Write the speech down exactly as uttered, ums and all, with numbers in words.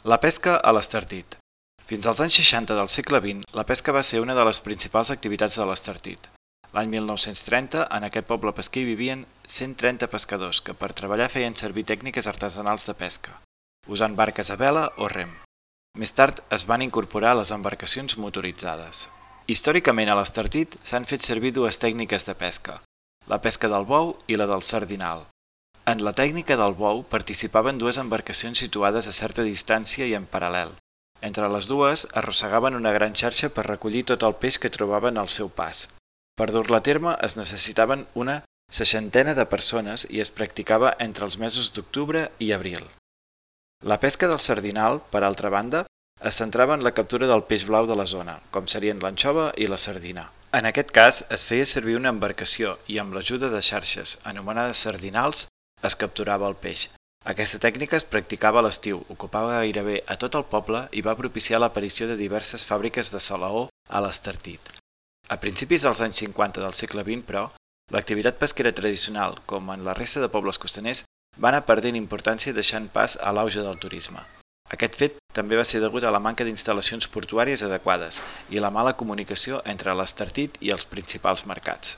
La pesca a l'Estartit. Fins als anys seixanta del segle vint, la pesca va ser una de les principals activitats de l'Estartit. L'any mil nou-cents trenta, en aquest poble pesquer hi vivien cent trenta pescadors que per treballar feien servir tècniques artesanals de pesca, usant barques a vela o rem. Més tard es van incorporar les embarcacions motoritzades. Històricament a l'Estartit s'han fet servir dues tècniques de pesca, la pesca del bou i la del sardinal. En la tècnica del bou participaven dues embarcacions situades a certa distància i en paral·lel. Entre les dues arrossegaven una gran xarxa per recollir tot el peix que trobaven al seu pas. Per dur-la a terme es necessitaven una seixantena de persones i es practicava entre els mesos d'octubre i abril. La pesca del sardinal, per altra banda, es centrava en la captura del peix blau de la zona, com serien l'anxova i la sardina. En aquest cas es feia servir una embarcació i amb l'ajuda de xarxes, anomenades sardinals, es capturava el peix. Aquesta tècnica es practicava a l'estiu, ocupava gairebé a tot el poble i va propiciar l'aparició de diverses fàbriques de salaó a l'Estartit. A principis dels anys cinquanta del segle vint, però, l'activitat pesquera tradicional, com en la resta de pobles costaners, va anar perdent importància deixant pas a l'auge del turisme. Aquest fet també va ser degut a la manca d'instal·lacions portuàries adequades i la mala comunicació entre l'Estartit i els principals mercats.